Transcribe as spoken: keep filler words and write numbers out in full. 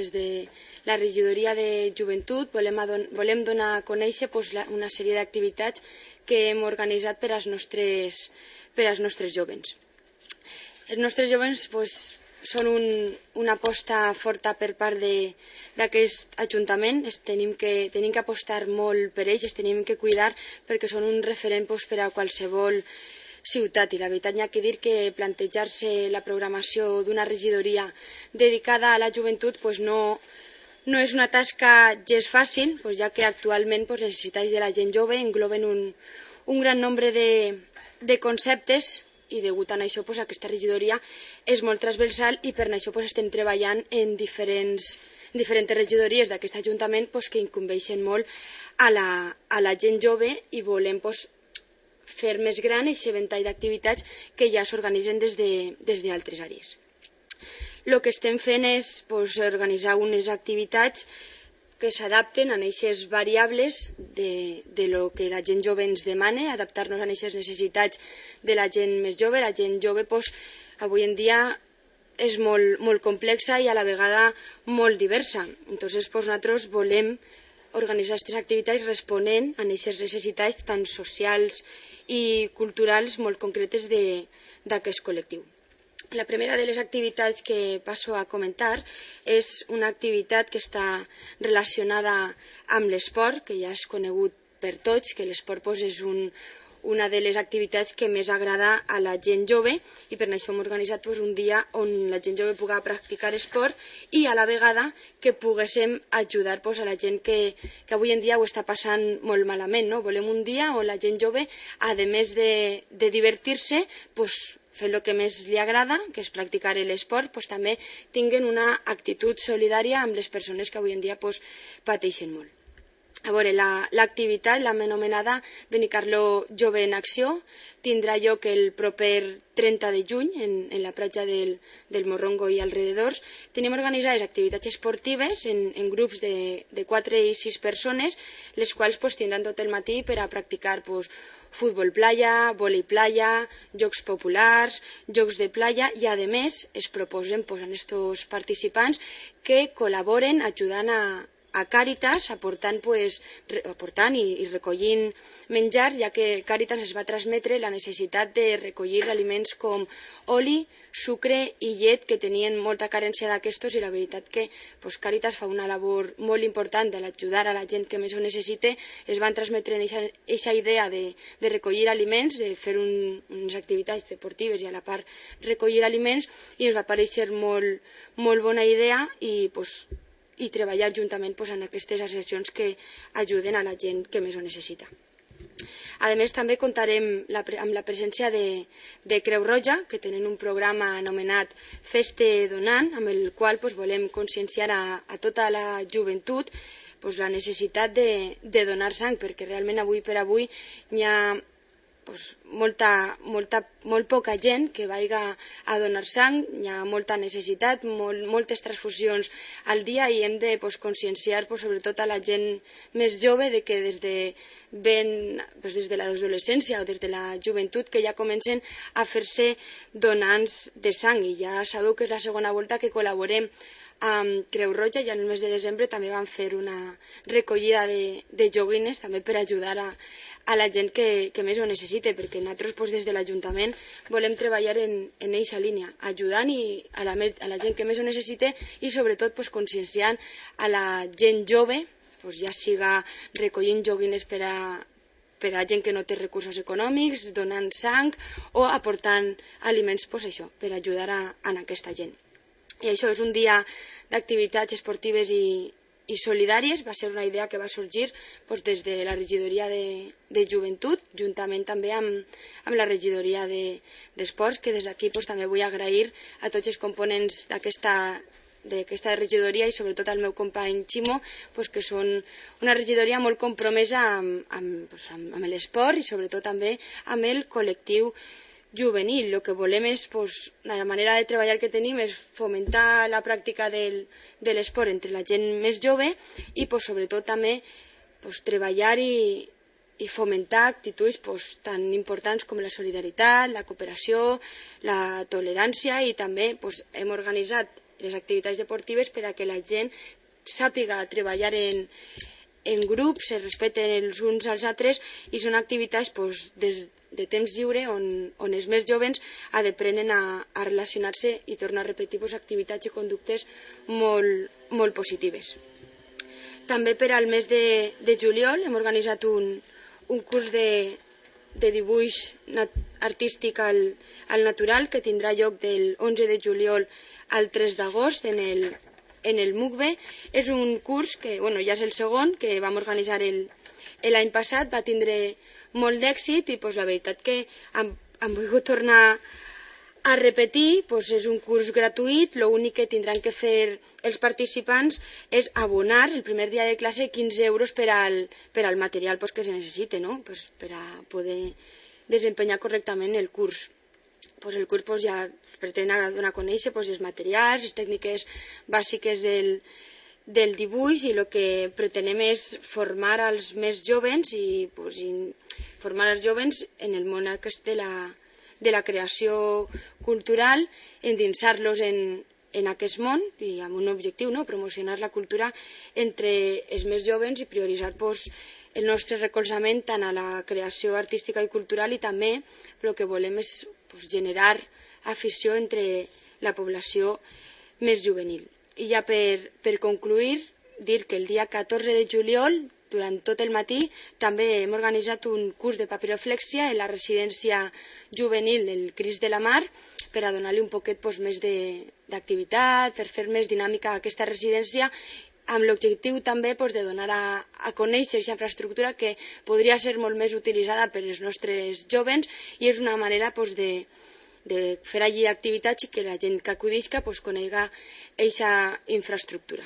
Des de la regidoria de joventut volem, volem donar a conèixer pues, la, una sèrie d'activitats que hem organitzat per als nostres, per als nostres jovens. Els nostres jovens pues, són un, una aposta forta per part d'aquest Ajuntament. Es tenim, que, tenim que apostar molt per ells, es tenim que cuidar perquè són un referent pues, per a qualsevol ciutat, i la veritat hi ha que dir que plantejar-se la programació d'una regidoria dedicada a la joventut pues no, no és una tasca gens fàcil, pues ja que actualment pues, les necessitats de la gent jove engloben un, un gran nombre de, de conceptes, i degut a això pues, aquesta regidoria és molt transversal, i per això pues, estem treballant en diferents, diferents regidories d'aquest Ajuntament pues, que incumbeixen molt a la, a la gent jove, i volem pues, fer més gran aquest ventall d'activitats que ja s'organitzen des d'altres de, àrees. El que estem fent és pues, organitzar unes activitats que s'adapten a aquestes variables de, de lo que la gent jove ens demana, adaptar-nos a aquestes necessitats de la gent més jove. La gent jove pues, avui en dia és molt, molt complexa i a la vegada molt diversa. Entonces, pues, nosaltres volem organitzar aquestes activitats responent a aquestes necessitats tan socials i culturals molt concretes d'aquest col·lectiu. La primera de les activitats que passo a comentar és una activitat que està relacionada amb l'esport, que ja és conegut per tots, que l'esport pues, és un, una de les activitats que més agrada a la gent jove, i per això hem organitzat pues, un dia on la gent jove pugui practicar esport i a la vegada que poguéssim ajudar pues, a la gent que, que avui en dia ho està passant molt malament. No? Volem un dia on la gent jove, a més de, de divertir-se, pues, fer el que més li agrada, que és practicar l'esport, pues, també tinguin una actitud solidària amb les persones que avui en dia pues, pateixen molt. A veure, l'activitat, la, l'anomenada Benicarló Jove en Acció, tindrà lloc el proper trenta de juny en, en la platja del, del Morrongo i alrededors. Tenim organitzades activitats esportives en, en grups de, de quatre i sis persones, les quals pues, tindran tot el matí per a practicar pues, futbol playa, vòlei playa, jocs populars, jocs de playa, i a més es proposen pues, a aquests participants que col·laboren ajudant a a Càritas, aportant, pues, aportant i, i recollint menjar, ja que Càritas es va transmetre la necessitat de recollir aliments com oli, sucre i llet, que tenien molta carència d'aquestos, i la veritat que pues, Càritas fa una labor molt important de l'ajudar a la gent que més ho necessita. Es van transmetre aquesta idea de, de recollir aliments, de fer un, unes activitats deportives i a la part recollir aliments, i ens va parèixer molt, molt bona idea, i pues, i treballar juntament pues, en aquestes associacions que ajuden a la gent que més ho necessita. A més, també comptarem la, amb la presència de, de Creu Roja, que tenen un programa anomenat Feste Donant, amb el qual pues, volem conscienciar a, a tota la joventut pues, la necessitat de, de donar sang, perquè realment avui per avui hi ha pues, molta, molta, molt poca gent que vagi a donar sang, hi ha molta necessitat, molt, moltes transfusions al dia, i hem de pues, conscienciar pues, sobretot a la gent més jove de que des de, ben, pues, des de l'adolescència o des de la joventut que ja comencen a fer-se donants de sang. I ja sabeu que és la segona volta que col·laborem amb Creu Roja, i en el mes de desembre també vam fer una recollida de, de joguines també per ajudar a, a la gent que, que més ho necessita, perquè nosaltres pues, des de l'Ajuntament volem treballar en aquesta línia, ajudant i a, la, a la gent que més ho necessita, i sobretot pues, conscienciant a la gent jove, pues, ja siga recollint joguines per a, per a gent que no té recursos econòmics, donant sang o aportant aliments pues, això, per ajudar a, a aquesta gent. I això és un dia d'activitats esportives i, i solidàries. Va ser una idea que va sorgir doncs, des de la regidoria de, de joventut, juntament també amb, amb la regidoria d'esports, de, que des d'aquí doncs, també vull agrair a tots els components d'aquesta d'aquesta regidoria, i sobretot al meu company Ximo, doncs, que són una regidoria molt compromesa amb, amb, doncs, amb, amb l'esport i sobretot també amb el col·lectiu juvenil. El que volem és, pues, la manera de treballar que tenim és fomentar la pràctica del, de l'esport entre la gent més jove i pues, sobretot també pues, treballar i, i fomentar actituds pues, tan importants com la solidaritat, la cooperació, la tolerància, i també pues, hem organitzat les activitats deportives per a que la gent sàpiga treballar en, en grups, se respecten els uns als altres i són activitats pues, des de temps lliure on, on els més joves aprenen a, a relacionar-se i tornar a repetir pues, activitats i conductes molt, molt positives. També per al mes de, de juliol hem organitzat un, un curs de, de dibuix nat, artístic al, al natural que tindrà lloc del onze de juliol al tres d'agost en el, en el MUCBE. És un curs que bueno, ja és el segon, que vam organitzar l'any passat, va tindre molt d'èxit i pues, la veritat que hem, hem volgut tornar a repetir. Pues, és un curs gratuït, l'únic que tindran que fer els participants és abonar el primer dia de classe quinze euros per al, per al material pues, que se necessite, no? Pues, per a poder desempenyar correctament el curs. Pues, el curs pues, ja pretén donar a conèixer pues, els materials, les tècniques bàsiques del, del dibuix i el que pretenem és formar als més joves i, pues, i formar els joves en el món aquest de la, de la creació cultural, endinsar-los en, en aquest món i amb un objectiu, no? Promocionar la cultura entre els més joves i prioritzar pues, el nostre recolzament tant a la creació artística i cultural i també el que volem és pues, generar afició entre la població més juvenil. I ja per, per concluir, dir que el dia catorze de juliol, durant tot el matí, també hem organitzat un curs de papiroflèxia en la residència juvenil del Crist de la Mar per a donar-li un poquet pues, més d'activitat, per fer més dinàmica a aquesta residència, amb l'objectiu també pues, de donar a, a conèixer aquesta infraestructura que podria ser molt més utilitzada per als nostres joves i és una manera pues, de, de fer allí activitats i que la gent que acudisca pues, conegui aquesta infraestructura.